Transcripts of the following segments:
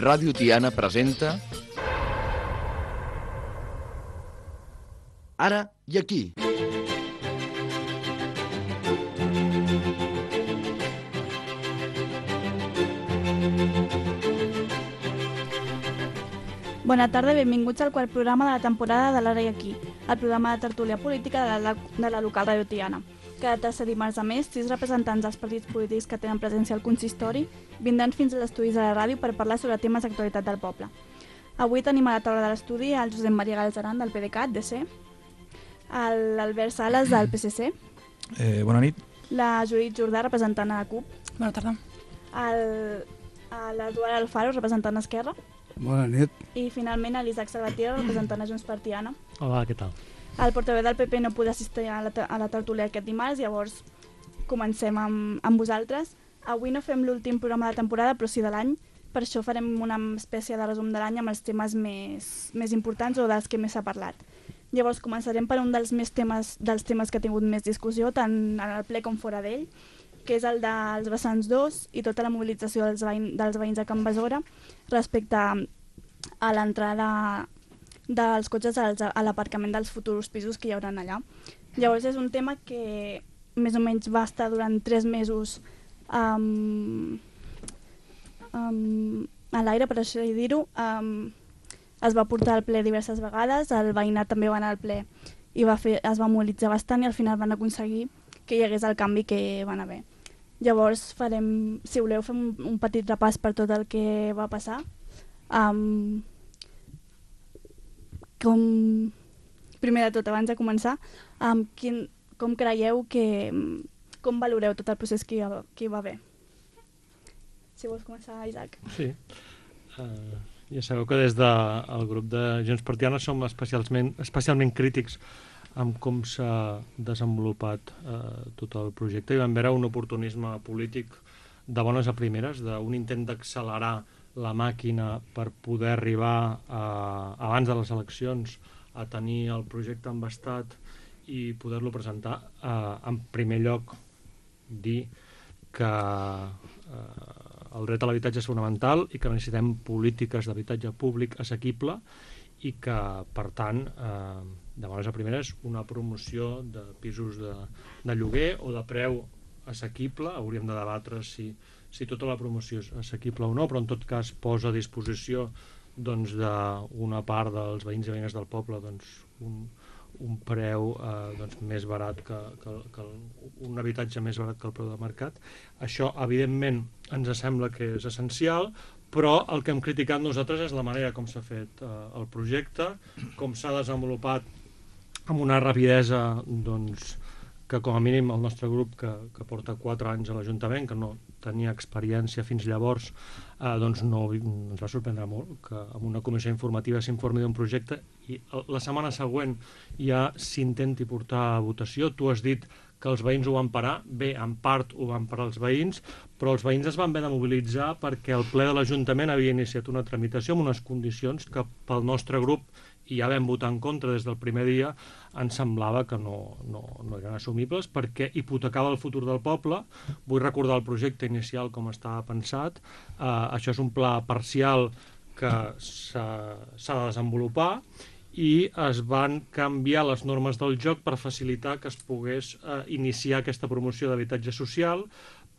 Ràdio Tiana presenta Ara i aquí. Bona tarda i benvinguts al quart programa de la temporada de l'Ara i aquí, el programa de tertúlia política de la local Ràdio Tiana. Cada tercer dimarts a més, 6 representants dels partits polítics que tenen presència al consistori vindran fins a l'estudi de la ràdio per parlar sobre temes d'actualitat del poble. Avui tenim a la taula de l'estudi el Josep Maria Galzeran del PDeCAT, DC, l'Albert Sales del PSC, Bona nit. la Judit Jordà, representant a la CUP, Bona tarda. l'Eduard Alfaro, representant a Esquerra, Bona nit. i finalment l'Isaac Salvatierra, representant a Junts per Tiana. Hola, què tal? El portaveu del PP no podia assistir a la tertúlia aquest dimarts, llavors comencem amb vosaltres. Avui no fem l'últim programa de temporada, però sí de l'any. Per això farem una espècie de resum de l'any amb els temes més importants o dels que més s'ha parlat. Llavors començarem per un dels temes que ha tingut més discussió, tant en el ple com fora d'ell, que és el dels vessants 2 i tota la mobilització dels veïns de Can Besora respecte a l'entrada dels cotxes a l'aparcament dels futurs pisos que hi haurà allà. Llavors és un tema que més o menys va estar durant 3 mesos a l'aire, per això dir-ho. Es va portar al ple diverses vegades, el veïnat també va anar al ple i es va mobilitzar bastant i al final van aconseguir que hi hagués el canvi que van haver. Llavors farem, si voleu, fem un petit repàs per tot el que va passar. Primer de tot, abans de començar, com creieu com valoreu tot el procés que hi va haver? Si vols començar, Isaac. Sí. Ja sabeu que des del grup de Junts per Tiana som especialment crítics amb com s'ha desenvolupat tot el projecte i vam veure un oportunisme polític de bones a primeres, d'un intent d'accelerar la màquina per poder arribar abans de les eleccions a tenir el projecte embastat i poder-lo presentar. En primer lloc, dir que el dret a l'habitatge és fonamental i que necessitem polítiques d'habitatge públic assequible i que, per tant, de bones a primeres, una promoció de pisos de lloguer o de preu assequible, hauríem de debatre si tota la promoció és assequible o no, però en tot cas posa a disposició d'una part dels veïns i veïnes del poble un preu més barat un habitatge més barat que el preu de mercat. Això, evidentment, ens sembla que és essencial, però el que hem criticat nosaltres és la manera com s'ha fet el projecte, com s'ha desenvolupat amb una rapidesa que com a mínim el nostre grup, que porta 4 anys a l'Ajuntament, que no tenia experiència fins llavors, ens va sorprendre molt que en una comissió informativa s'informi d'un projecte i la setmana següent ja s'intenti portar a votació. Tu has dit que els veïns ho van parar. Bé, en part ho van parar els veïns, però els veïns es van haver de mobilitzar perquè el ple de l'Ajuntament havia iniciat una tramitació amb unes condicions que pel nostre grup, i ja vam votar en contra des del primer dia, ens semblava que no eren assumibles perquè hipotecava el futur del poble. Vull recordar el projecte inicial com estava pensat. Això és un pla parcial que s'ha de desenvolupar i es van canviar les normes del joc per facilitar que es pogués iniciar aquesta promoció d'habitatge social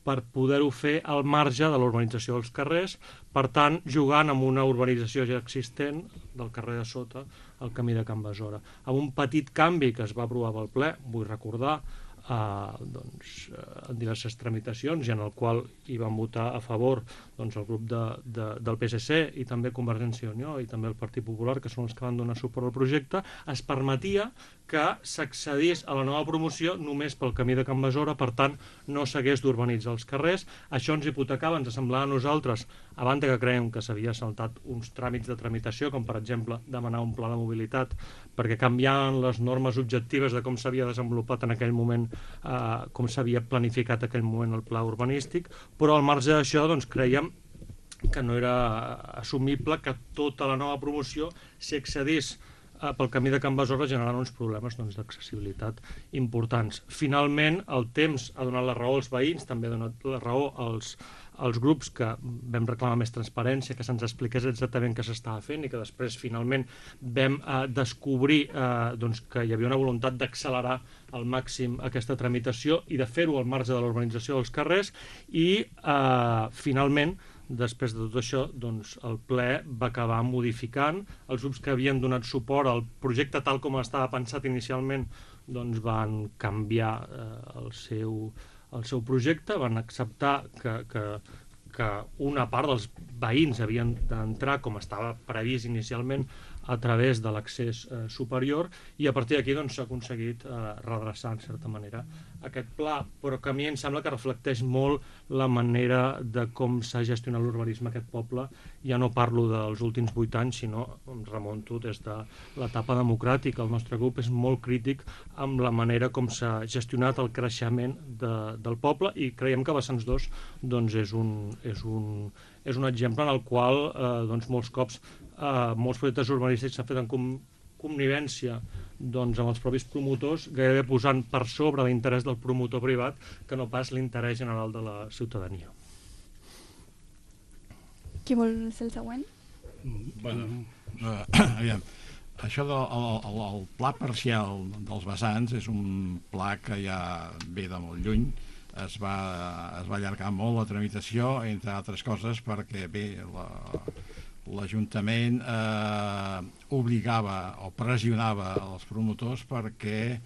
per poder-ho fer al marge de l'urbanització dels carrers, per tant, jugant amb una urbanització ja existent del carrer de sota, el camí de Can Besora. Amb un petit canvi que es va aprovar pel ple, vull recordar, en diverses tramitacions i en el qual hi van votar a favor el grup del PSC i també Convergència i Unió i també el Partit Popular, que són els que van donar suport al projecte, es permetia que s'accedís a la nova promoció només pel camí de Can Besora, per tant no s'hagués d'urbanitzar els carrers. Això ens hipotecava, ens semblava a nosaltres, a banda que creiem que s'havia saltat uns tràmits de tramitació, com per exemple demanar un pla de mobilitat, perquè canviaven les normes objectives de com s'havia desenvolupat en aquell moment, com s'havia planificat en aquell moment el pla urbanístic, però al marge d'això creiem que no era assumible que tota la nova promoció s'hi accedís pel camí de Can Besora generant uns problemes d'accessibilitat importants. Finalment, el temps ha donat la raó als veïns, també ha donat la raó als grups que vam reclamar més transparència, que se'ns expliqués exactament què s'estava fent i que després finalment vam descobrir que hi havia una voluntat d'accelerar al màxim aquesta tramitació i de fer-ho al marge de l'urbanització dels carrers i finalment després de tot això, el ple va acabar modificant. Els grups que havien donat suport al projecte tal com estava pensat inicialment van canviar el seu projecte, van acceptar que una part dels veïns havien d'entrar com estava previst inicialment a través de l'accés superior i a partir d'aquí s'ha aconseguit redreçar en certa manera aquest pla, però que a mi em sembla que reflecteix molt la manera de com s'ha gestionat l'urbanisme aquest poble. Ja no parlo dels últims 8 anys, sinó em remonto des de l'etapa democràtica. El nostre grup és molt crític amb la manera com s'ha gestionat el creixement del poble i creiem que Vessants 2 és un exemple en el qual molts cops molts projectes urbanístics s'han fet en connivència amb els propis promotors, gairebé posant per sobre l'interès del promotor privat que no pas l'interès general de la ciutadania. Qui vol ser el següent? Aviam, això del pla parcial dels vessants és un pla que ja ve de molt lluny. Es va allargar molt la tramitació, entre altres coses perquè l'Ajuntament obligava o pressionava els promotors perquè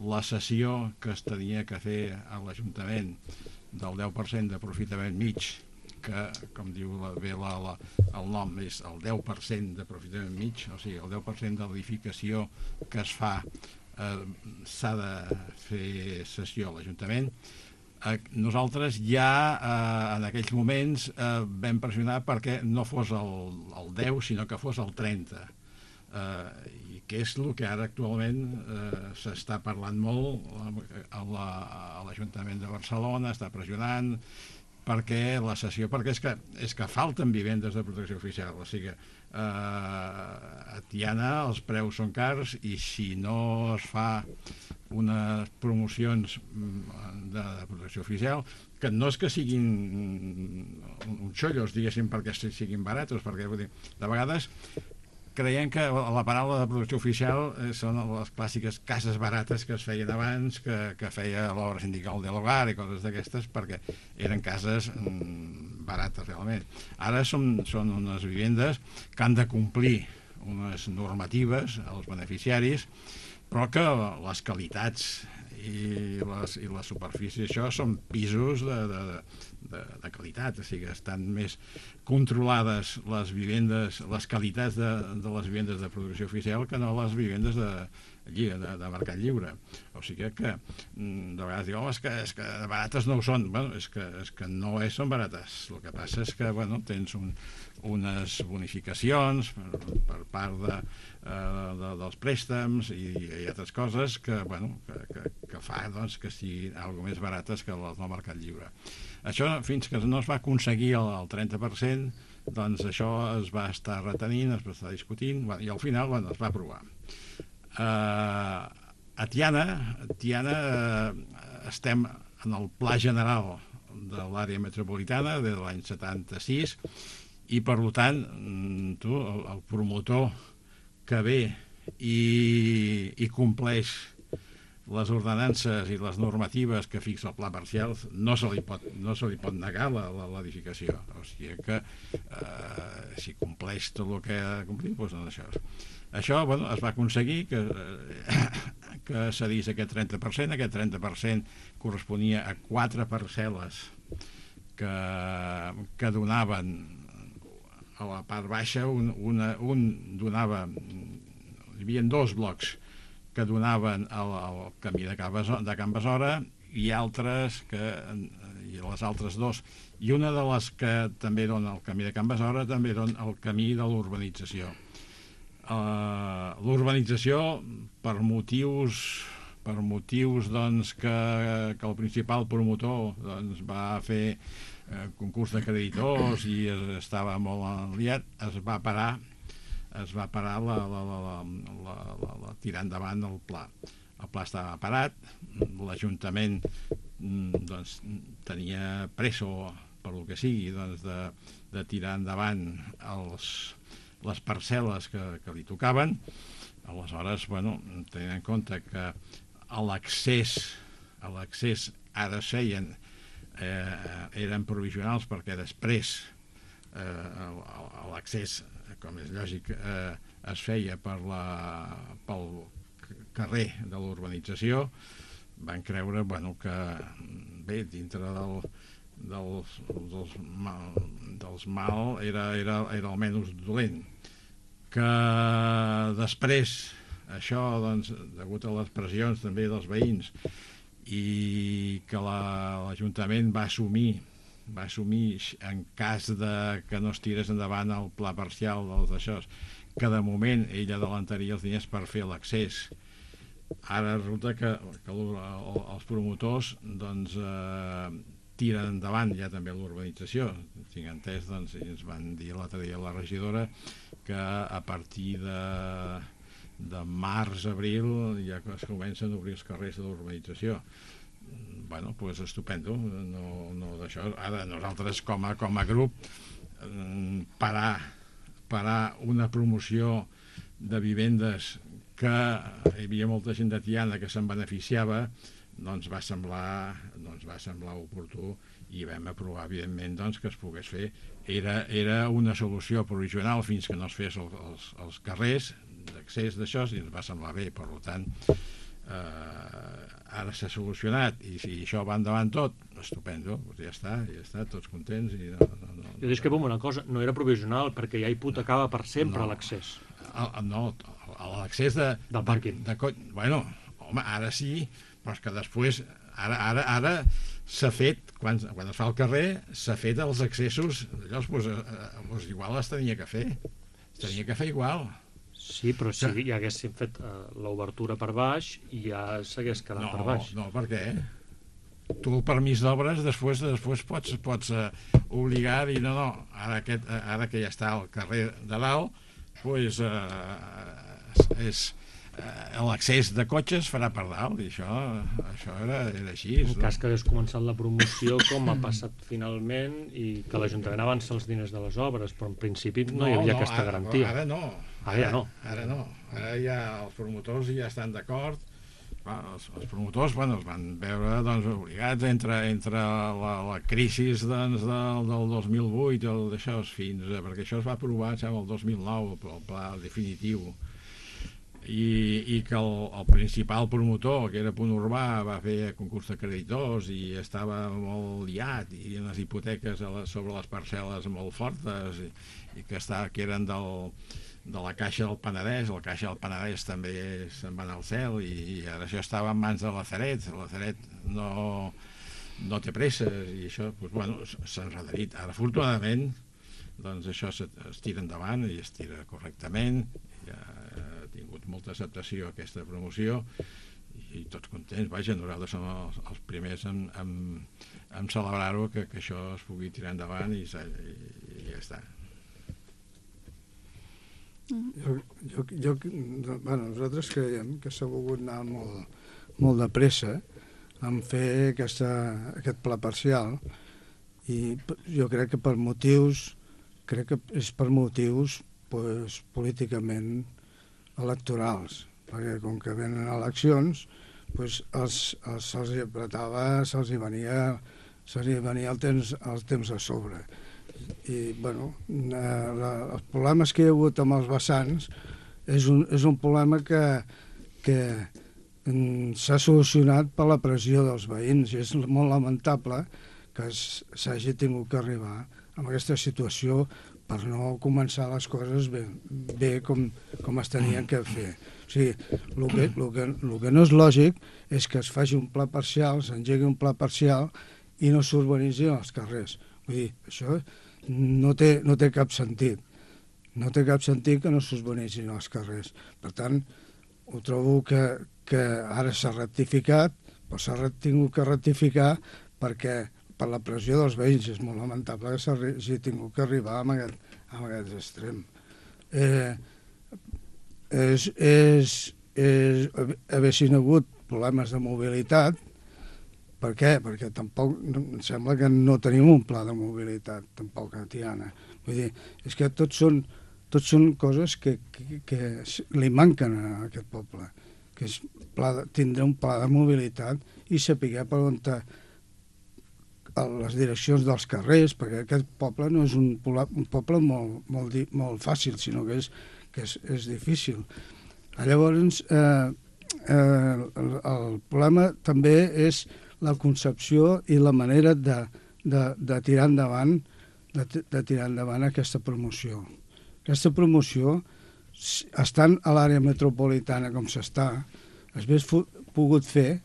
la cessió que es tenia que fer a l'Ajuntament del 10% d'aprofitament mig, que, com diu bé el nom, és el 10% d'aprofitament mig, o sigui, el 10% de l'edificació que es fa s'ha de fer cessió a l'Ajuntament. Nosaltres ja en aquells moments vam pressionar perquè no fos el 10 sinó que fos el 30 i que és el que ara actualment s'està parlant molt a l'Ajuntament de Barcelona, està pressionant perquè la cessió, perquè és que falten vivendes de protecció oficial, o sigui a Tiana els preus són cars i si no es fa unes promocions de protecció oficial, que no és que siguin uns xollos, diguéssim, perquè siguin baratos, perquè de vegades creiem que la paraula de protecció oficial són les clàssiques cases barates que es feien abans, que feia l'obra sindical de l'hogar i coses d'aquestes, perquè eren cases barates realment. Ara són unes vivendes que han de complir unes normatives als beneficiaris, però que les qualitats i les superfícies, això són pisos de qualitat, o sigui, estan més controlades les vivendes, les qualitats de les vivendes de producció oficial que no les vivendes de mercat lliure. O sigui que de vegades diuen, home, és que barates no ho són. Bueno, és que no són barates. El que passa és que tens unes bonificacions per part dels préstecs i altres coses que fa que siguin alguna més barates que les del mercat lliure. Això, fins que no es va aconseguir el 30%, doncs això es va estar retenint, es va estar discutint i al final es va aprovar. A Tiana estem en el Pla General de l'àrea metropolitana des de l'any 76 i per tant el promotor que ve i compleix les ordenances i les normatives que fixa el pla parcial no se li pot negar l'edificació, o sigui que si compleix tot el que ha de complir, doncs això es va aconseguir que cedís aquest 30%. Aquest 30% corresponia a 4 parcel·les que donaven a la part baixa, un donava, hi havia 2 blocs que donaven al camí de Can Besora i les altres 2, i una de les que també dona el camí de Can Besora també dona el camí de l'urbanització. L'urbanització per motius que el principal promotor va fer concurs de creditors i estava molt enliat, es va parar es va parar la tirar endavant el pla. El pla estava parat, l'Ajuntament doncs, tenia pressa, per el que sigui, doncs, de tirar endavant les parcel·les que li tocaven. Aleshores, bueno, tenint en compte que a l'accés ara es feien, eren provisionals perquè després l'accés, com és lògic, es feia pel carrer de l'urbanització. Van creure, bueno, que bé, dintre dels mal era el menys dolent, que després això, doncs, degut a les pressions també dels veïns, i que l'Ajuntament va assumir en cas que no es tirés endavant el pla parcial dels d'això, que de moment ell adelantaria els diners per fer l'accés. Ara resulta que els promotors doncs, tiren endavant ja també l'urbanització. Tinc entès, doncs, i ens van dir l'altre dia la regidora que a partir de març, abril, ja es comencen a obrir els carrers de l'urbanització. Bueno, doncs estupendo, no d'això. Ara nosaltres com a grup parar una promoció de vivendes que hi havia molta gent de Tiana que se'n beneficiava, doncs va semblar oportú i vam aprovar, evidentment, doncs, que es pogués fer. Era una solució provisional fins que no es fes els carrers d'accés d'això, i ens va semblar bé. Per tant, ara s'ha solucionat i si això va endavant tot, estupendo, ja està, tots contents. Jo discrepo amb una cosa, no era provisional perquè ja hipotecava per sempre l'accés. No, l'accés del pàrquing. Bueno, home, ara sí, però és que després ara s'ha fet, quan es fa el carrer, s'ha fet els accessos, doncs igual es tenia que fer igual. Sí, però si ja haguéssim fet l'obertura per baix, ja s'hagués quedat per baix. No, per què? Tu el permís d'obres després pots obligar a dir no, ara que ja està al carrer de dalt, doncs l'accés de cotxes farà per dalt, i això era així. En cas que hagués començat la promoció, com ha passat finalment, i que l'Ajuntament avança els diners de les obres, però en principi no hi havia aquesta garantia. Ara no. Ara ja els promotors ja estan d'acord. Els promotors es van veure obligats entre la crisi del 2008 perquè això es va aprovar el 2009, el pla definitiu, i que el principal promotor, que era Punt Urbà, va fer concurs de creditors i estava molt liat, i unes hipoteques sobre les parcel·les molt fortes, i que eren de la Caixa del Penedès. La Caixa del Penedès també se'n va anar al cel, i ara això estava en mans de la Sareb. La Sareb no té presses, i això s'ha enredarit. Ara, afortunadament, doncs això es tira endavant i es tira correctament. Ja ha tingut molta acceptació aquesta promoció i tots contents. Vaja, nosaltres som els primers en celebrar-ho, que això es pugui tirar endavant, i ja està. Nosaltres creiem que s'ha volgut anar molt de pressa en fer aquest pla parcial, i jo crec que és per motius políticament electorals, perquè com que venen eleccions se'ls apretava, se'ls venia el temps a sobre. I els problemes que hi ha hagut amb els vessants és un problema que s'ha solucionat per la pressió dels veïns, i és molt lamentable que s'hagi tingut que arribar a aquesta situació per no començar les coses bé com es tenien que fer. O sigui, el que no és lògic és que es faci un pla parcial, s'engegui un pla parcial i no s'urbanitzin els carrers. Vull dir, això no té cap sentit. No té cap sentit que no s'urbanitzin els carrers. Per tant, ho trobo que ara s'ha rectificat, però s'ha tingut que rectificar perquè per la pressió dels veïns és molt lamentable que s'hagi tingut que arribar a aquest extrem. haguessin hagut problemes de mobilitat. Per què? Perquè tampoc em sembla que no tenim un pla de mobilitat, tampoc a Tiana. Vull dir, és que tots són coses que li manquen a aquest poble, que és tindre un pla de mobilitat i saber per on les direccions dels carrers, perquè aquest poble no és un poble molt fàcil, sinó que és difícil. Llavors, el problema també és la concepció i la manera de tirar endavant aquesta promoció. Aquesta promoció, estant a l'àrea metropolitana com s'està, hauria pogut fer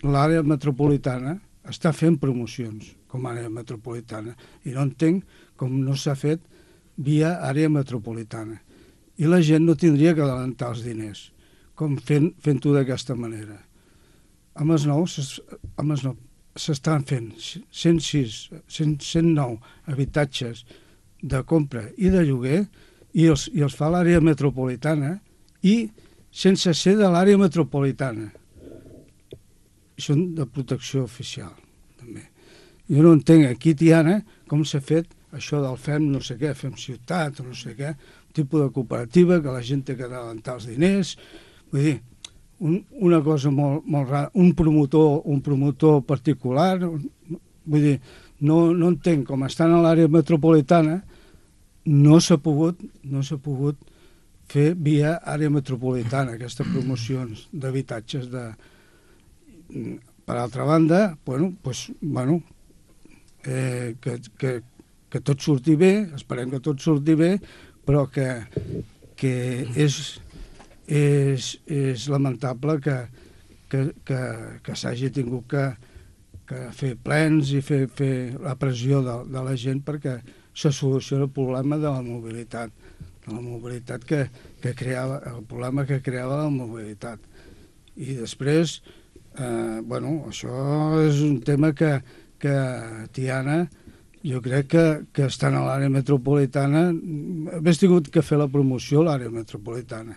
l'àrea metropolitana està fent promocions com a àrea metropolitana i no entenc com no s'ha fet via àrea metropolitana. I la gent no tindria que adelantar els diners, com fent-ho d'aquesta manera. A Masnou s'estan fent 109 habitatges de compra i de lloguer i els fa l'àrea metropolitana i sense ser de l'àrea metropolitana. Són de protecció oficial, també. Jo no entenc aquí, Tiana, com s'ha fet això del fem no sé què, fem ciutat o no sé què, un tipus de cooperativa que la gent té que adelantar els diners. Vull dir, una cosa molt rara, un promotor particular, vull dir, no entenc com estan a l'àrea metropolitana, no s'ha pogut fer via àrea metropolitana aquestes promocions d'habitatges de... Per altra banda, que tot surti bé, esperem que tot surti bé, però que és lamentable que s'hagi tingut que fer plens i fer la pressió de la gent perquè se solucioni el problema de la mobilitat, el problema que creava la mobilitat. I després, això és un tema que Tiana, jo crec que estant a l'àrea metropolitana, hauria tingut que fer la promoció a l'àrea metropolitana.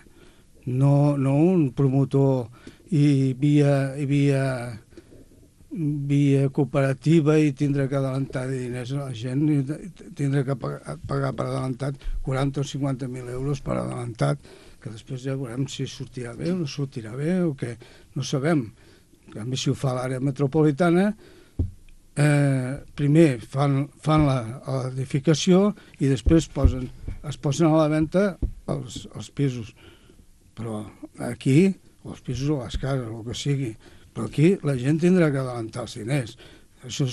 No un promotor i via cooperativa i tindre que adelantar diners a la gent i tindre que pagar per adelantat 40 o 50.000 euros per adelantat, que després ja veurem si sortirà bé o no sortirà bé o què, no sabem. En canvi, si ho fa l'àrea metropolitana, primer fan l'edificació i després es posen a la venda els pisos. Però aquí, o els pisos o les cases, o el que sigui, però aquí la gent tindrà que adelantar els diners. Això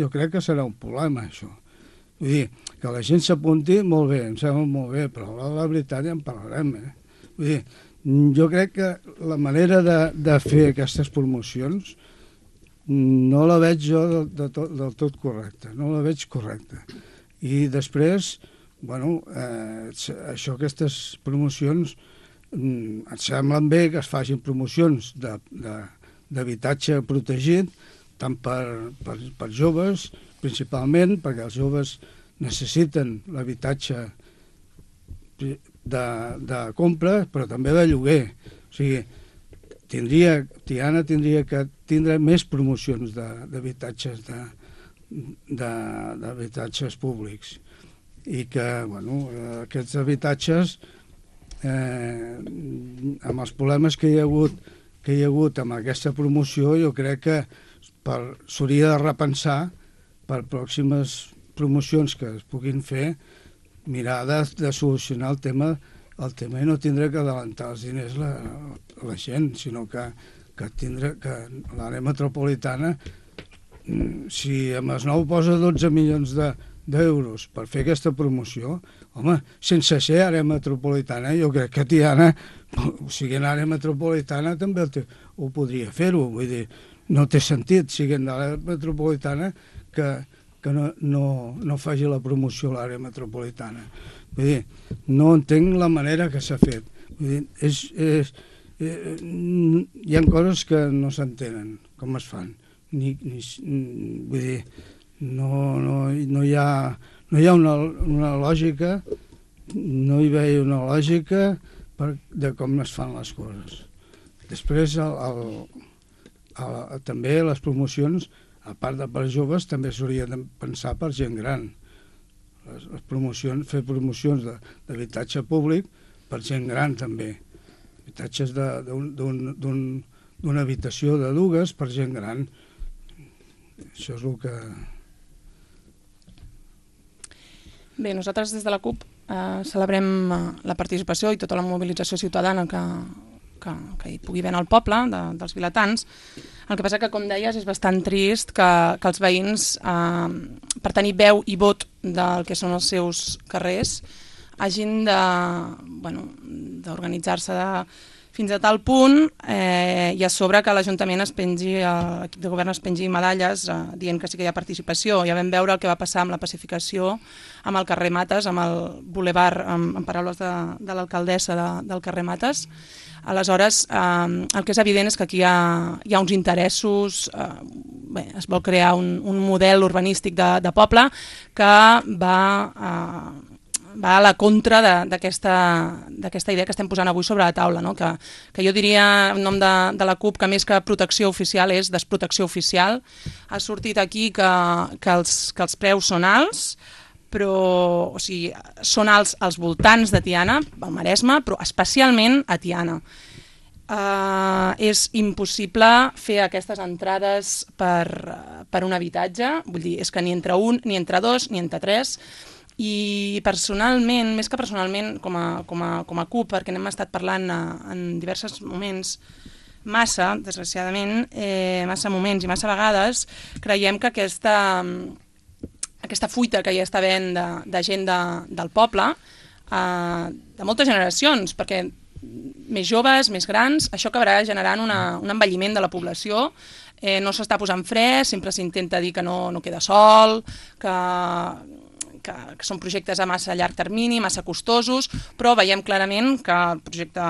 jo crec que serà un problema, això. Vull dir, que la gent s'apunti, molt bé, em sembla molt bé, però la veritat ja en parlarem. Vull dir, jo crec que la manera de fer aquestes promocions no la veig jo del tot correcta, no la veig correcta. I després, aquestes promocions et semblen bé que es facin promocions d'habitatge protegit, tant per joves, principalment, perquè els joves necessiten l'habitatge de compra, però també de lloguer. O sigui, Tiana tindria que tindre més promocions d'habitatges públics i que aquests habitatges, amb els problemes que hi ha hagut amb aquesta promoció, jo crec que s'hauria de repensar per pròximes promocions que es puguin fer, mirar de solucionar el tema i no tindre que adelantar els diners la gent, sinó que l'àrea metropolitana, si a Masnou posa 12 milions d'euros per fer aquesta promoció, home, sense ser àrea metropolitana, jo crec que Tiana, siguent àrea metropolitana, també ho podria fer-ho. Vull dir, no té sentit, siguent de l'àrea metropolitana, que no faci la promoció a l'àrea metropolitana. Vull dir, no entenc la manera que s'ha fet. Vull dir, hi ha coses que no s'entenen, com es fan. Vull dir, no no hi ha una lògica, no hi veia una lògica de com es fan les coses. Després, també les promocions, a part de per joves, també s'hauria de pensar per gent gran. Les promocions, fer promocions d'habitatge públic per gent gran també. Habitatges d'una habitació de dues per gent gran. Això és el que... Bé, nosaltres des de la CUP celebrem la participació i tota la mobilització ciutadana que hi pugui haver en el poble, dels vilatans. El que passa que, com deies, és bastant trist que els veïns, per tenir veu i vot del que són els seus carrers, hagin d'organitzar-se fins a tal punt i a sobre que l'Ajuntament l'equip de govern es pengi medalles dient que sí que hi ha participació. Ja vam veure el que va passar amb la pacificació amb el carrer Mates, amb el bulevard, en paraules de l'alcaldessa del carrer Mates. Aleshores, el que és evident és que aquí hi ha uns interessos, es vol crear un model urbanístic de poble que va a la contra d'aquesta idea que estem posant avui sobre la taula, no? Que jo diria, en nom de la CUP, que més que protecció oficial és desprotecció oficial. Ha sortit aquí que els preus són alts, però són alts als voltants de Tiana, al Maresme, però especialment a Tiana. És impossible fer aquestes entrades per un habitatge, vull dir, és que ni entre un, ni entre dos, ni entre tres. I personalment, més que personalment, com a CUP, perquè n'hem estat parlant en diversos moments, desgraciadament, massa moments i massa vegades, creiem que aquesta fuita que hi està havent de gent del poble, de moltes generacions, perquè més joves, més grans, això acabarà generant un envelliment de la població. No s'està posant fre, sempre s'intenta dir que no queda sol, que són projectes a massa llarg termini, massa costosos, però veiem clarament que el projecte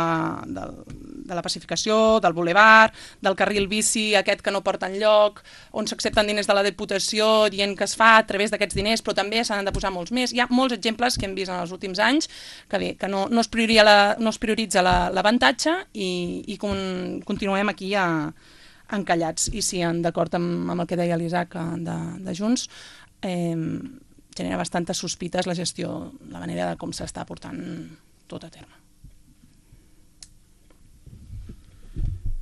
de la pacificació, del bulevard, del carril bici, aquest que no porta enlloc, on s'accepten diners de la Diputació dient que es fa a través d'aquests diners, però també s'han de posar molts més. Hi ha molts exemples que hem vist en els últims anys que no es prioritza l'avantatge i continuem aquí encallats. I sí, d'acord amb el que deia l'Isaac de Junts, genera bastantes sospites la gestió, la manera de com s'està portant tot a terme.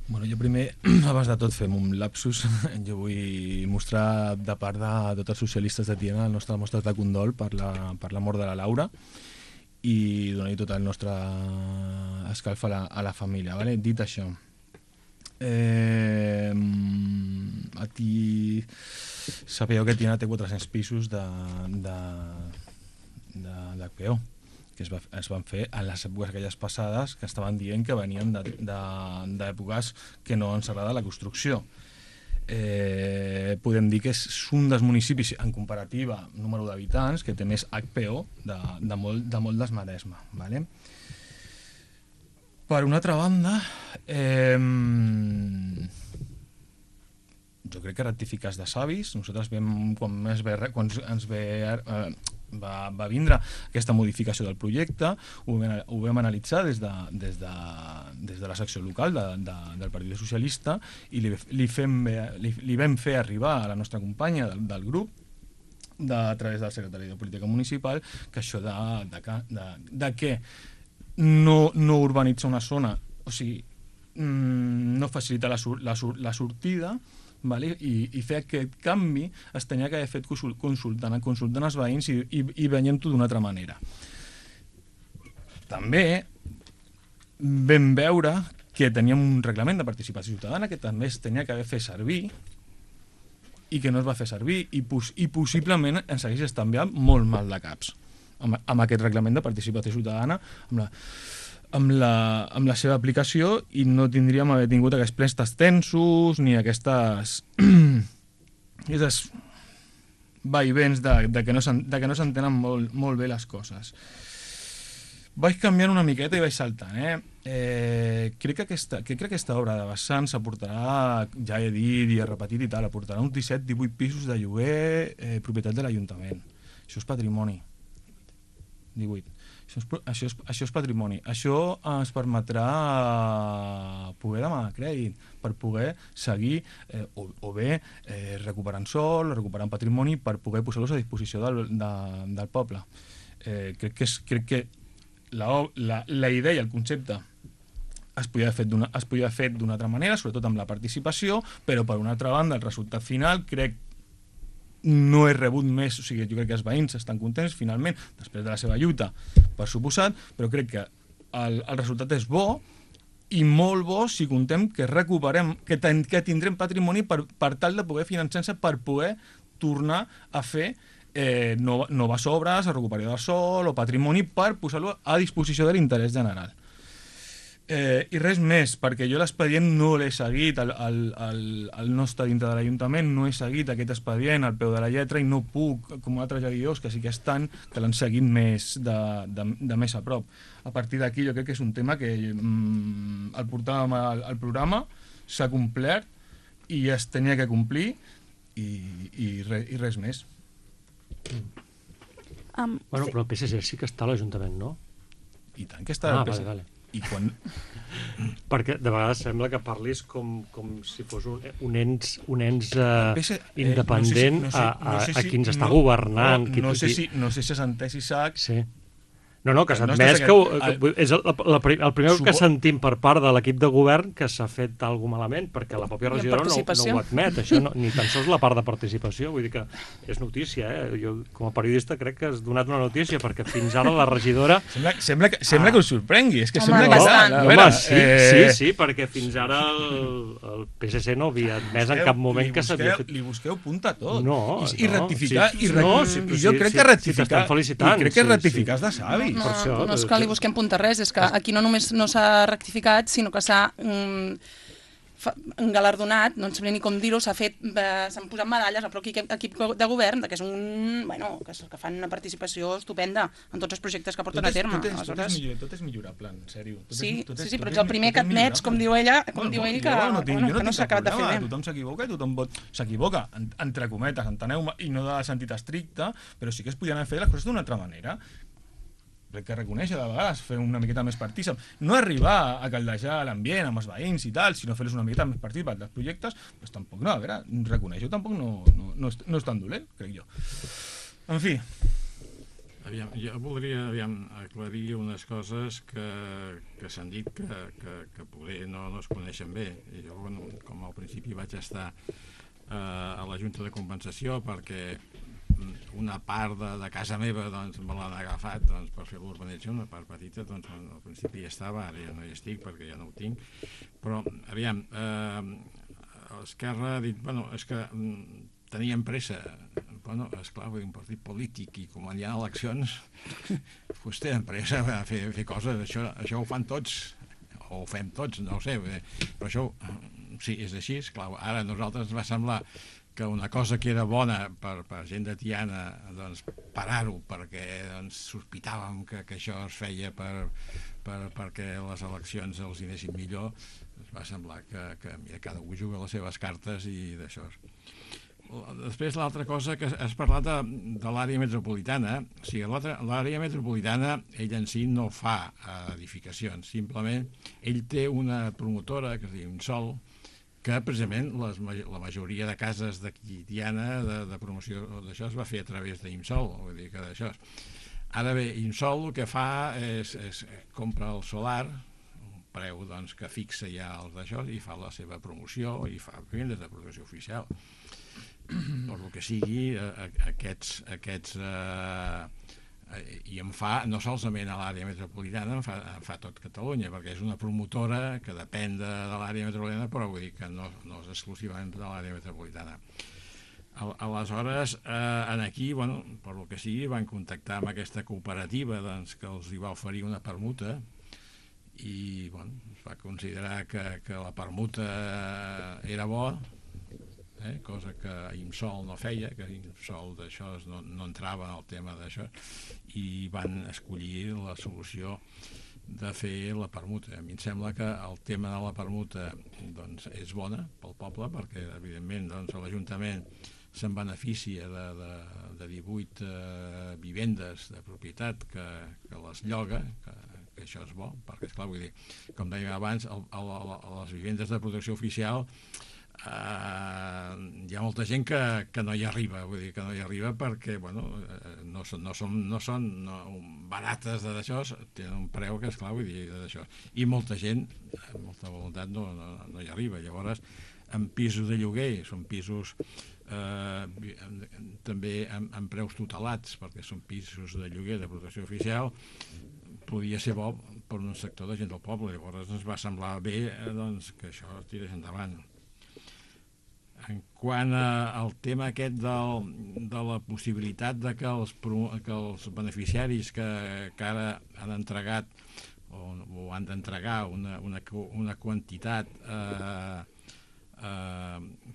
Bueno, jo primer, abans de tot, fem un lapsus. Jo vull mostrar de part de tots els socialistes de Tiana el nostre mostre de condol per la mort de la Laura i donar-hi tot el nostre escalf a la família. Vale? Dit això, aquí sabeu que Tiana té 400 pisos d'HPO que es van fer en les èpoques aquelles passades que estaven dient que venien d'èpoques que no ens agrada la construcció. Podem dir que és un dels municipis, en comparativa número d'habitants, que té més HPO de molt des Maresme. Vale? Per una altra banda, jo crec que rectificar és de savis. Nosaltres quan va vindre aquesta modificació del projecte, ho vam analitzar des de la secció local del Partit Socialista i li vam fer arribar a la nostra companya del grup a través del secretari de Política Municipal que això de que no urbanitzar una zona, o sigui, no facilita la sortida, vale? I fer aquest canvi es tenia que haver fet consultant els veïns i veiem-ho d'una altra manera. També vam veure que teníem un reglament de participació ciutadana que també es tenia que haver fet servir i que no es va fer servir i possiblement ens hagués estalviat molt mal de caps amb aquest reglament de participació ciutadana, amb la seva aplicació, i no tindríem haver tingut aquests plens tensos ni aquestes vaivens de que no s'entenen molt bé les coses. Vaig canviant una miqueta i vaig saltant. Crec que aquesta obra de vessants aportarà, ja he dit i he repetit i tal, aportarà uns 17-18 pisos de lloguer propietat de l'Ajuntament. Això és patrimoni. 18. Això és patrimoni. Això ens permetrà poder demanar crèdit per poder seguir o bé recuperant sòl, recuperant patrimoni per poder posar-los a disposició del poble. Crec que la idea i el concepte es podia haver fet d'una altra manera, sobretot amb la participació, però per una altra banda el resultat final crec no he rebut més, o sigui, jo crec que els veïns estan contents finalment, després de la seva lluita, per suposat, però crec que el resultat és bo i molt bo si contem que recuperem, que tindrem patrimoni per tal de poder finançar-se, per poder tornar a fer noves obres, a recuperar del sòl o patrimoni per posar-lo a disposició de l'interès general. I res més, perquè jo l'expedient no l'he seguit, el nostre dintre de l'Ajuntament no he seguit aquest expedient al peu de la lletra i no puc, com altres regidors que sí que estan, que l'han seguit més de més a prop. A partir d'aquí jo crec que és un tema que el portàvem al programa, s'ha complert i es tenia que complir i res més. Bueno, però el PSC sí que està a l'Ajuntament, no? I tant que està el PSC. Vale. I quan... Perquè de vegades sembla que parlis com si fos un ens independent a qui ens està governant. No sé si s'ha entès, Isaac. Sí. No, que s'ha admès que és el primer que sentim per part de l'equip de govern que s'ha fet alguna malament, perquè la pròpia regidora no ho admet, això ni tan sols la part de participació, vull dir que és notícia, jo com a periodista crec que has donat una notícia, perquè fins ara la regidora... Sembla que us sorprengui, és que sembla que... Home, sí, perquè fins ara el PSC no havia admès en cap moment que s'havia fet... Li busqueu punta tot. I rectificar, i jo crec que rectificar és de savi. No és que li busquem punta res, és que aquí no només no s'ha rectificat, sinó que s'ha engalardonat, no sé ni com dir-ho, s'han posat medalles al propi equip de govern, que és que fan una participació estupenda en tots els projectes que porten a terme. Tot és millorable, en sèrio. Sí, però ets el primer que admets, com diu ell, que no s'ha acabat de fer bé. Tothom s'equivoca i tothom s'equivoca, entre cometes, enteneu-me, i no de sentit estricte, però sí que es podien haver fet les coses d'una altra manera. Crec que reconèixer de vegades, fer una miqueta més partícip, no arribar a caldejar l'ambient amb els veïns i tal, sinó fer-los una miqueta més partícip dels projectes, doncs tampoc no, a veure, reconèixer-ho tampoc no és tan dolent, crec jo. En fi. Jo voldria aclarir unes coses que s'han dit que poder no es coneixen bé. Jo, com al principi vaig estar a la Junta de Compensació perquè una part de casa meva me l'han agafat per fer l'urbanització, una part petita, al principi hi estava, ara ja no hi estic perquè ja no ho tinc, però aviam, Esquerra ha dit, és que teníem pressa, esclar, un partit polític i com hi ha eleccions doncs tenen pressa a fer coses, això ho fan tots o ho fem tots, no ho sé, però això sí, és així, esclar, ara a nosaltres ens va semblar que una cosa que era bona per gent de Tiana, parar-ho, perquè sospitàvem que això es feia perquè les eleccions els anessin millor, ens va semblar que mira, cada un juga les seves cartes i d'això. Després l'altra cosa que has parlat de l'àrea metropolitana, o sigui, l'àrea metropolitana ell en si no fa edificacions, simplement ell té una promotora que es diu Insol, que precisament la majoria de cases d'aquí Tiana de promoció d'això es va fer a través d'Imsol, vull dir que d'això. Ara bé, Imsol el que fa és compra el solar, un preu que fixa ja els d'això i fa la seva promoció i fa vendes de protecció oficial. Per el que sigui, aquests i en fa no solament a l'àrea metropolitana, en fa tot Catalunya, perquè és una promotora que depèn de l'àrea metropolitana, però vull dir que no és exclusivament de l'àrea metropolitana. Aleshores, aquí, per el que sigui, van contactar amb aquesta cooperativa que els hi va oferir una permuta i es va considerar que la permuta era bona, cosa que Imsol no feia, que Imsol d'això no entrava en el tema d'això, i van escollir la solució de fer la permuta. A mi em sembla que el tema de la permuta és bona pel poble, perquè evidentment l'Ajuntament se'n beneficia de 18 vivendes de propietat que les lloga, que això és bo, perquè, esclar, vull dir, com deia abans, a les vivendes de protecció oficial hi ha molta gent que no hi arriba, vull dir, que no hi arriba perquè, bueno, no són barates d'això, tenen un preu que, esclar, vull dir, d'això. I molta gent, amb molta voluntat, no hi arriba. Llavors, en pisos de lloguer, són pisos també amb preus tutelats, perquè són pisos de lloguer de protecció oficial, podia ser bo per un sector de gent del poble. Llavors ens va semblar bé doncs, que això tirés endavant. En quant al tema aquest de la possibilitat de que els beneficiaris que ara han entregat o han d'entregar una quantitat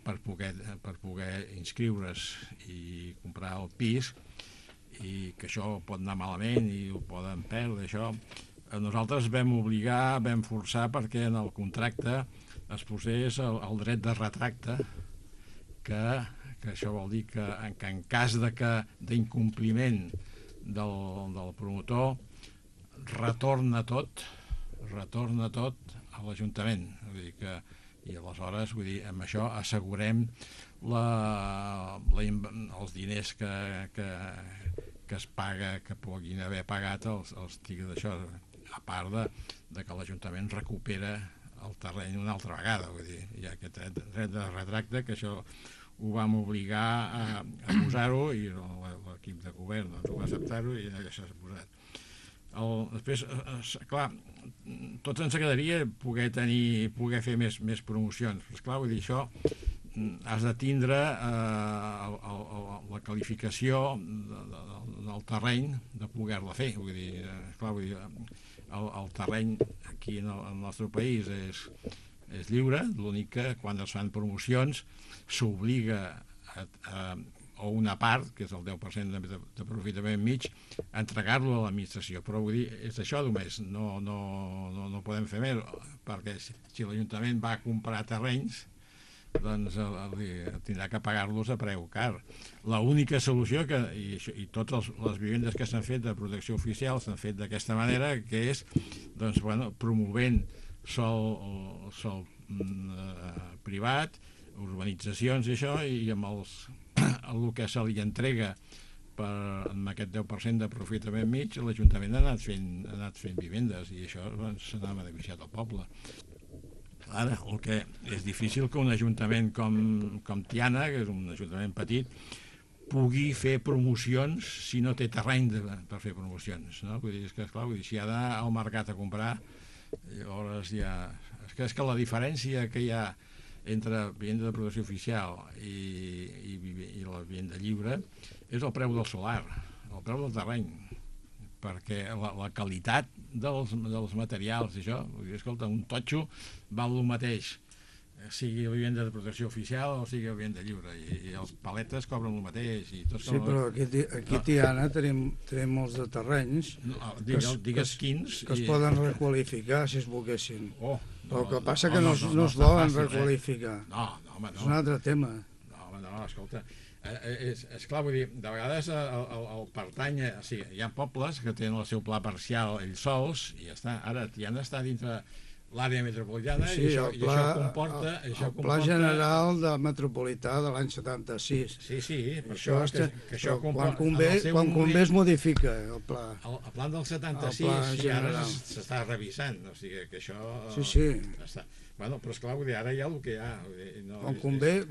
per poder inscriure's i comprar el pis, i que això pot anar malament i ho poden perdre, això, nosaltres vam forçar perquè en el contracte es posés el dret de retracte, que això vol dir que en cas d'incompliment del promotor retorna tot a l'Ajuntament. Vull dir que, i aleshores, vull dir, amb això assegurem els diners que es paga, que puguin haver pagat els tics d'això, a part de que l'Ajuntament recupera el terreny una altra vegada. Vull dir, hi ha aquest dret de retracte, que això ho vam obligar a posar-ho, i l'equip de govern ho va acceptar-ho, i això s'ha posat. Després, clar, tots ens agradaria poder fer més promocions, però esclar, vull dir, això has de tindre la qualificació del terreny de poder-la fer. Vull dir, esclar, el terreny aquí en el nostre país és lliure, l'únic que quan es fan promocions s'obliga o una part, que és el 10% d'aprofitament mig, a entregar-lo a l'administració. Però vull dir, és això només, no podem fer més, perquè si l'Ajuntament va a comprar terrenys, doncs tindrà que pagar-los a preu car. L'única solució, i totes les vivendes que s'han fet de protecció oficial s'han fet d'aquesta manera, que és doncs, promovent sol privat, urbanitzacions i això, i amb el que se li entrega amb aquest 10% d'aprofitament mig, l'Ajuntament ha anat fent vivendes, i això se n'ha beneficiat al poble. Ara, el que és difícil que un ajuntament com Tiana, que és un ajuntament petit, pugui fer promocions si no té terreny per fer promocions, no? Vull dir, esclar, si ha d'anar al mercat a comprar, llavors és que la diferència que hi ha entre vivenda de protecció oficial i la vivenda lliure és el preu del solar, el preu del terreny, perquè la qualitat dels materials, això, escolta, un totxo val el mateix, sigui vivenda de protecció oficial o sigui vivenda lliure, i els paletes cobren el mateix. Sí, però aquí a Tiana tenim molts de terrenys digues quins que es poden requalificar si es volguessin. Però el que passa que no es volen requalificar. No. És un altre tema. No, escolta, és clar, vull dir, de vegades el pertany, o sigui, hi ha pobles que tenen el seu pla parcial ells sols, i ja està. Ara Tiana està dintre l'àrea metropolitana, i això comporta... El pla general metropolità de l'any 76. Sí, per això que això quan convé es modifica el pla. El pla del 76 ara s'està revisant, o sigui que això... Sí. Bueno, però esclar, vull dir, ara hi ha el que hi ha.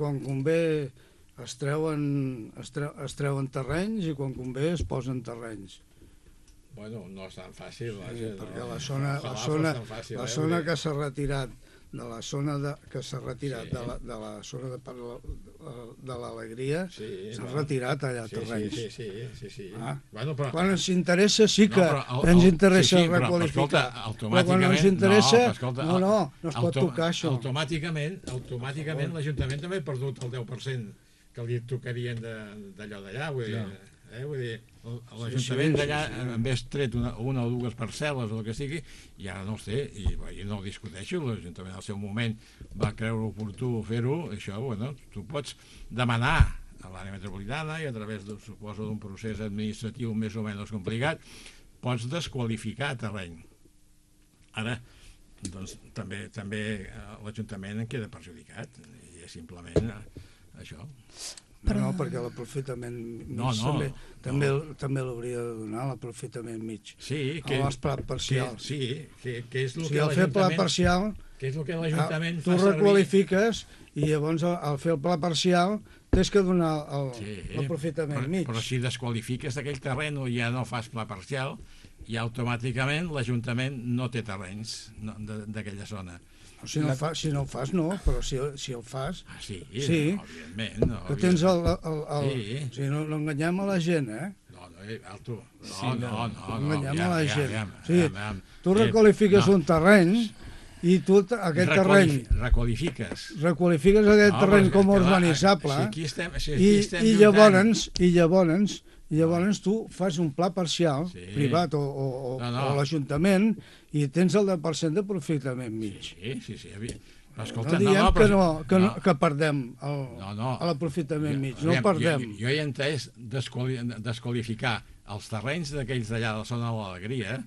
Quan convé es treuen terrenys, i quan convé es posen terrenys. Bueno, no és tan fàcil. Perquè la zona que s'ha retirat de la zona de la zona de l'Alegria, s'han retirat allà terrenys. Sí. Quan ens interessa sí que ens interessa requalificar, però quan no ens interessa no es pot tocar això. Automàticament l'Ajuntament també ha perdut el 10% que li tocarien d'allò d'allà, vull dir, l'Ajuntament d'allà hagués tret una o dues parcel·les o el que sigui, i ara no els té, i no ho discuteixo. L'Ajuntament al seu moment va creure oportú fer-ho. Això, tu pots demanar a l'àrea metropolitana i a través, suposo, d'un procés administratiu més o menys complicat, pots desqualificar terreny. Ara, doncs, també l'Ajuntament en queda perjudicat, i és simplement això. No, perquè l'aprofitament mig també l'hauria de donar, l'aprofitament mig. Sí, amb els plats parcials. que és el si que al fer pla l'Ajuntament... parcial, Que és el que l'Ajuntament tu requalifiques i llavors al fer el pla parcial tens que donar l'aprofitament mig. Però si desqualifiques d'aquell terreny o ja no fas pla parcial, i automàticament l'Ajuntament no té terrenys d'aquella zona. Si no ho fas, no, però si el fas... Sí, evidentment. No, que tens si no enganyem a la gent, Alto. No enganyem a la gent. Tu requalifiques un terreny i tu aquest terreny... Requalifiques aquest terreny com a urbanitzable i llavors tu fas un pla parcial, privat o l'Ajuntament, i tens el 10% d'aprofitament mig. Sí. No diem que perdem l'aprofitament mig, no el perdem. Jo he entès desqualificar els terrenys d'aquells d'allà de la zona de l'Alegria,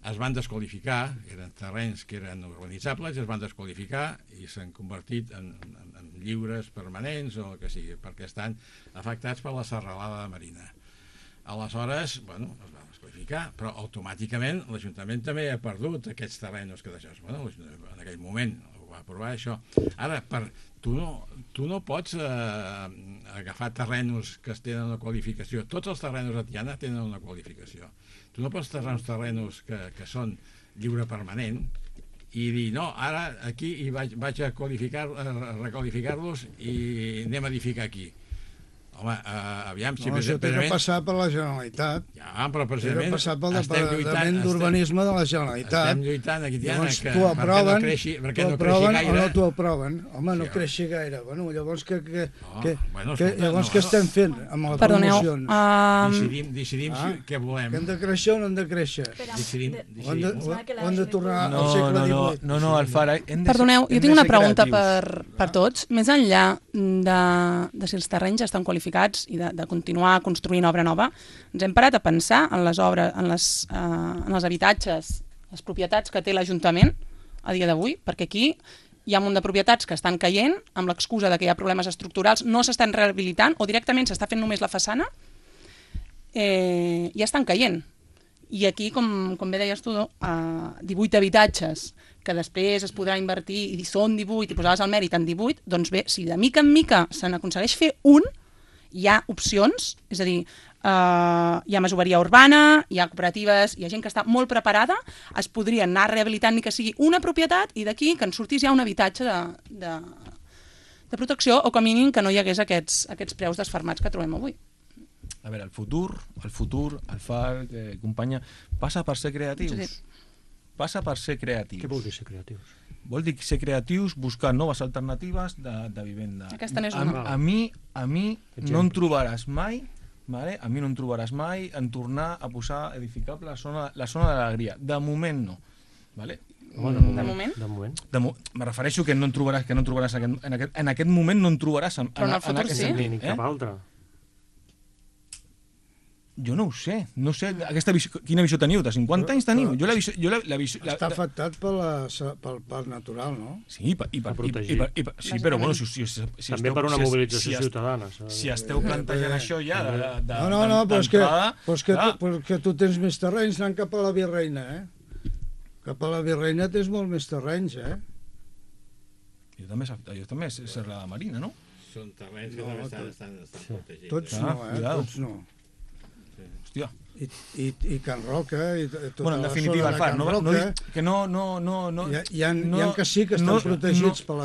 es van desqualificar, eren terrenys que eren urbanitzables, es van desqualificar i s'han convertit en lliures permanents o el que sigui, perquè estan afectats per la serralada marina. Aleshores, es va desqualificar, però automàticament l'Ajuntament també ha perdut aquests terrenys que deixes. En aquell moment ho va aprovar això. Ara, tu no pots agafar terrenys que tenen una qualificació. Tots els terrenys a Tiana tenen una qualificació. Tu no pots treure uns terrenys que són lliure permanent i dir, no, ara aquí vaig a requalificar-los i anem a edificar aquí. Home, aviam... Això té que passar per la Generalitat. Ja, però precisament... Té que passar pel Departament d'Urbanisme de la Generalitat. Estem lluitant aquí, Tiana, perquè no creixi gaire. O no t'ho aproven. Home, no creixi gaire. Llavors, què estem fent amb les promocions? Decidim què volem. Que hem de créixer o no hem de créixer? O hem de tornar al segle XVIII? No, Alfara... Perdoneu, jo tinc una pregunta per tots. Més enllà de si els terrenys estan qualificats i de continuar construint obra nova, ens hem parat a pensar en les obres, en els habitatges, les propietats que té l'Ajuntament a dia d'avui, perquè aquí hi ha un munt de propietats que estan caient amb l'excusa de que hi ha problemes estructurals, no s'estan rehabilitant o directament s'està fent només la façana i estan caient. I aquí, com bé deies tu, 18 habitatges que després es podrà invertir i són 18 i posaves el mèrit en 18, doncs bé, si de mica en mica se n'aconsegueix fer un, hi ha opcions, és a dir, hi ha masoveria urbana, hi ha cooperatives, hi ha gent que està molt preparada, es podria anar rehabilitant ni que sigui una propietat i d'aquí que en sortís ja un habitatge de protecció o com a mínim que no hi hagués aquests preus desfermats que trobem avui. A veure, el futur, el FAR, companya, passa per ser creatius. Sí. Passa per ser creatius. Què vol dir ser creatius? Vol dir ser creatius, buscar noves alternatives de vivenda. Aquesta n'és una. A mi no em trobaràs mai, vale? A mi no em trobaràs mai en tornar a posar edificable la zona de l'Alegria. De moment no. Vale? De moment? Me refereixo que no en trobaràs en aquest moment no en trobaràs però en el futur sí. Ni cap altre. Jo no ho sé. No sé quina visió teniu. De 50 anys teniu? Jo la visió... Està afectat pel parc natural, no? Sí, sí, però bueno, també per una mobilització ciutadana. Si esteu plantejant això ja No, però és que tu tens més terrenys anant cap a la Virreina, Cap a la Virreina tens molt més terrenys, Jo també és Serra de Marina, no? Són terrenys que també estan protegits. Tots no, tots no. Hòstia. I Can Roca i tota en la definitiva, zona de Can Roca. Que no... Hi ha que sí que estan protegits pel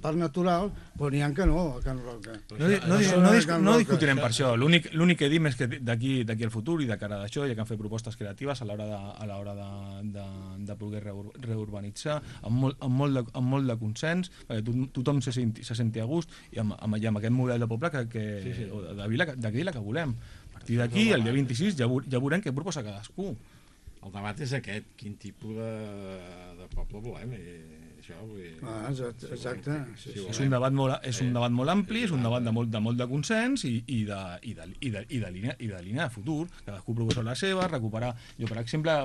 parc natural, però n'hi ha que no, a Can Roca. No discutirem per això. L'únic que dim és que d'aquí al futur i de cara d'això hi ha que fer propostes creatives a l'hora de poder reurbanitzar amb molt de consens, perquè tothom se senti a gust i amb aquest model de poble o de vila que volem. A partir d'aquí, el dia 26, ja veurem què proposa cadascú. El debat és aquest, quin tipus de poble volem. Això, vull dir, Exacte. Sí, sí. És un debat molt ampli, és un debat de molt de consens i de línia de futur. Cadascú proposa la seva, recuperar... Jo, per exemple,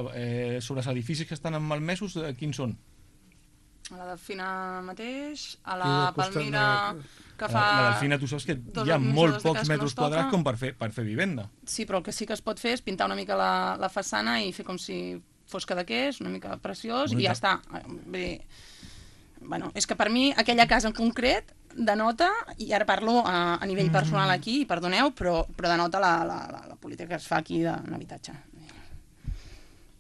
sobre els edificis que estan en malmesos, quins són? A la Delfina mateix, a la Palmira, que fa... La Delfina, tu saps que hi ha molt pocs metres quadrats com per fer vivenda. Sí, però el que sí que es pot fer és pintar una mica la façana i fer com si fos cadaqués, una mica preciós, i ja està. Vull dir, bueno, és que per mi aquella casa en concret denota, i ara parlo a nivell personal aquí, i perdoneu, però denota la política que es fa aquí d'un habitatge.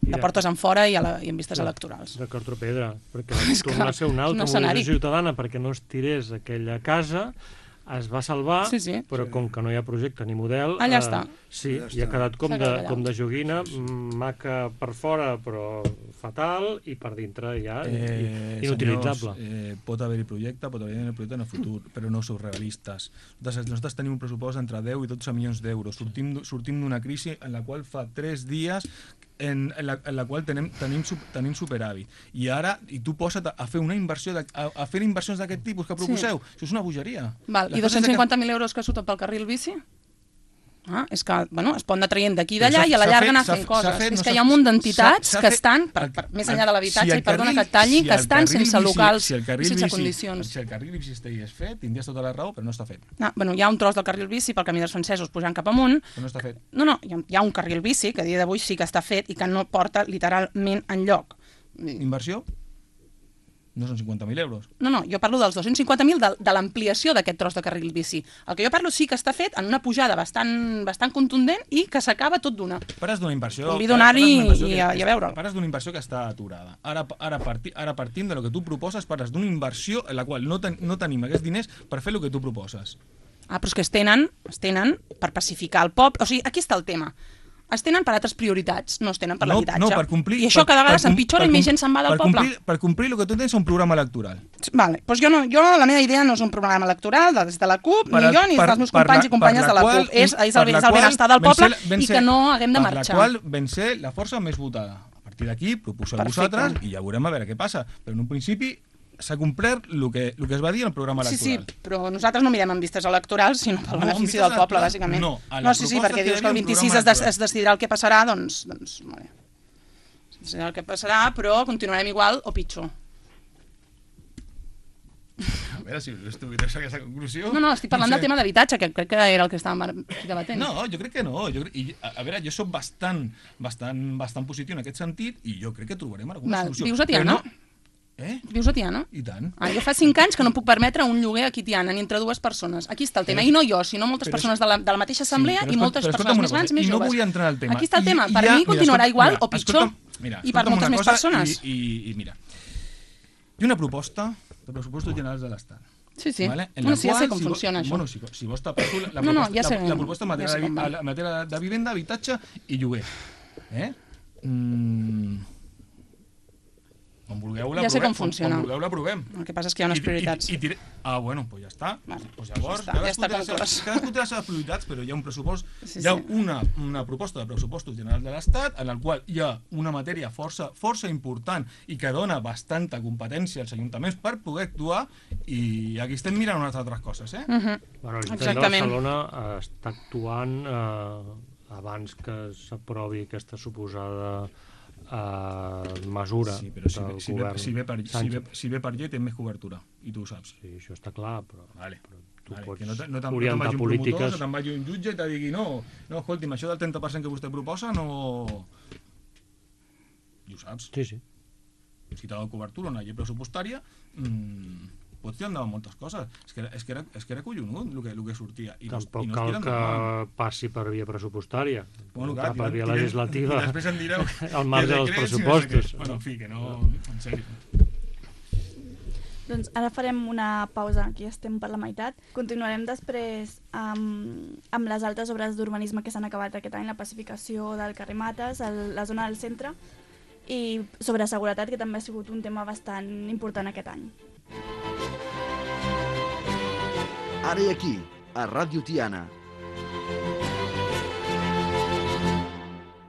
De portes en fora i en vistes electorals. De Cartropedra, perquè torna a ser una altra mobilització ciutadana perquè no es tirés aquella casa, es va salvar, però com que no hi ha projecte ni model... Allà està. Sí, i ha quedat com de joguina, maca per fora, però fatal, i per dintre ja inutilitzable. Senyors, pot haver-hi projecte, en el futur, però no sou realistes. Nosaltres tenim un pressupost entre 10 i 12 milions d'euros. Sortim d'una crisi en la qual fa 3 dies en la qual tenim superàvit. I ara, tu posa't a fer una inversió, a fer inversions d'aquest tipus que proposeu. Això és una bogeria. I 250.000 euros que surten pel carril bici? És que, bueno, es pot anar traient d'aquí i d'allà i a la llarga anar fent coses. És que hi ha un munt d'entitats que estan, més enllà de l'habitatge, i perdona que et talli, que estan sense locals i sense condicions. Si el carril bici estigués fet, tindries tota la raó, però no està fet. Bueno, hi ha un tros del carril bici pel camí dels francesos pujant cap amunt. Però no està fet. No, hi ha un carril bici que a dia d'avui sí que està fet i que no porta literalment enlloc. Inversió? No són 50.000 euros. No, jo parlo dels 250.000 de l'ampliació d'aquest tros de carril bici. El que jo parlo sí que està fet en una pujada bastant contundent i que s'acaba tot d'una. Pares d'una inversió... Convido a anar-hi i a veure'l. Pares d'una inversió que està aturada. Ara partim de lo que tu proposes, pares d'una inversió en la qual no tenim aquests diners per fer el que tu proposes. Però és que es tenen per pacificar el poble. O sigui, aquí està el tema. Es tenen per altres prioritats, no es tenen per l'habitatge. No, per complir... I això cada vegada s'empitjora i més gent se'n va del poble. Per complir el que tu tens és un programa electoral. Vale, doncs jo la meva idea no és un programa electoral des de la CUP, ni jo ni dels meus companys i companyes de la CUP. És el benestar del poble i que no haguem de marxar. Per la qual vam ser la força més votada. A partir d'aquí, proposeu vosaltres i ja veurem a veure què passa. Però en un principi s'ha complert el que es va dir en el programa electoral. Sí, però nosaltres no mirem en vistes electorals, sinó pel benefici del poble, bàsicament. No, perquè dius que el 26 es decidirà el que passarà, doncs molt bé. Es decidirà el que passarà, però continuarem igual o pitjor. A veure, si estuvieras a aquesta conclusió... No, estic parlant del tema d'habitatge, que crec que era el que estàvem debatent. No, jo crec que no. A veure, jo soc bastant positiu en aquest sentit i jo crec que trobarem alguna solució. Vius a Tiana? Vius a Tiana? I tant. Jo fa 5 anys que no puc permetre un lloguer aquí a Tiana, ni entre dues persones. Aquí està el tema. I no jo, sinó moltes persones de la mateixa assemblea i moltes persones més grans i més joves. I no vull entrar en el tema. Aquí està el tema. Per mi continuarà igual o pitjor i per moltes més persones. I mira, hi ha una proposta de pressupostos generals de l'Estat. Sí. Ja sé com funciona això. Bueno, si vols t'apasso la proposta en matèria de vivenda, habitatge i lloguer. Quan vulgueu l'aprovem. El que passa és que hi ha unes prioritats. Bueno, doncs ja està. Llavors, cadascú té les seves prioritats, però hi ha un pressupost, hi ha una proposta de pressupostos generals de l'Estat en el qual hi ha una matèria força important i que dona bastanta competència als ajuntaments per poder actuar i aquí estem mirant unes altres coses. L'Ajuntament de Barcelona està actuant abans que s'aprovi aquesta suposada mesura del govern. Si ve per llei té més cobertura i tu ho saps. Sí, això està clar, però tu pots orientar polítiques. No te'n vagi un jutge i te digui no, escolti'm, això del 30% que vostè proposa no... I ho saps. Sí. Si t'ha donat cobertura una llei pressupostària pots tirar endavant moltes coses. És que era collonut el que sortia. Tampoc cal que passi per via pressupostària, per via legislativa, després em direu al marge dels pressupostos. Bueno, en fi, que no... En sèrio. Doncs ara farem una pausa, aquí estem per la meitat. Continuarem després amb les altres obres d'urbanisme que s'han acabat aquest any, la pacificació del carrer Mates, la zona del centre, i sobre seguretat, que també ha sigut un tema bastant important aquest any. Ara i aquí, a Ràdio Tiana,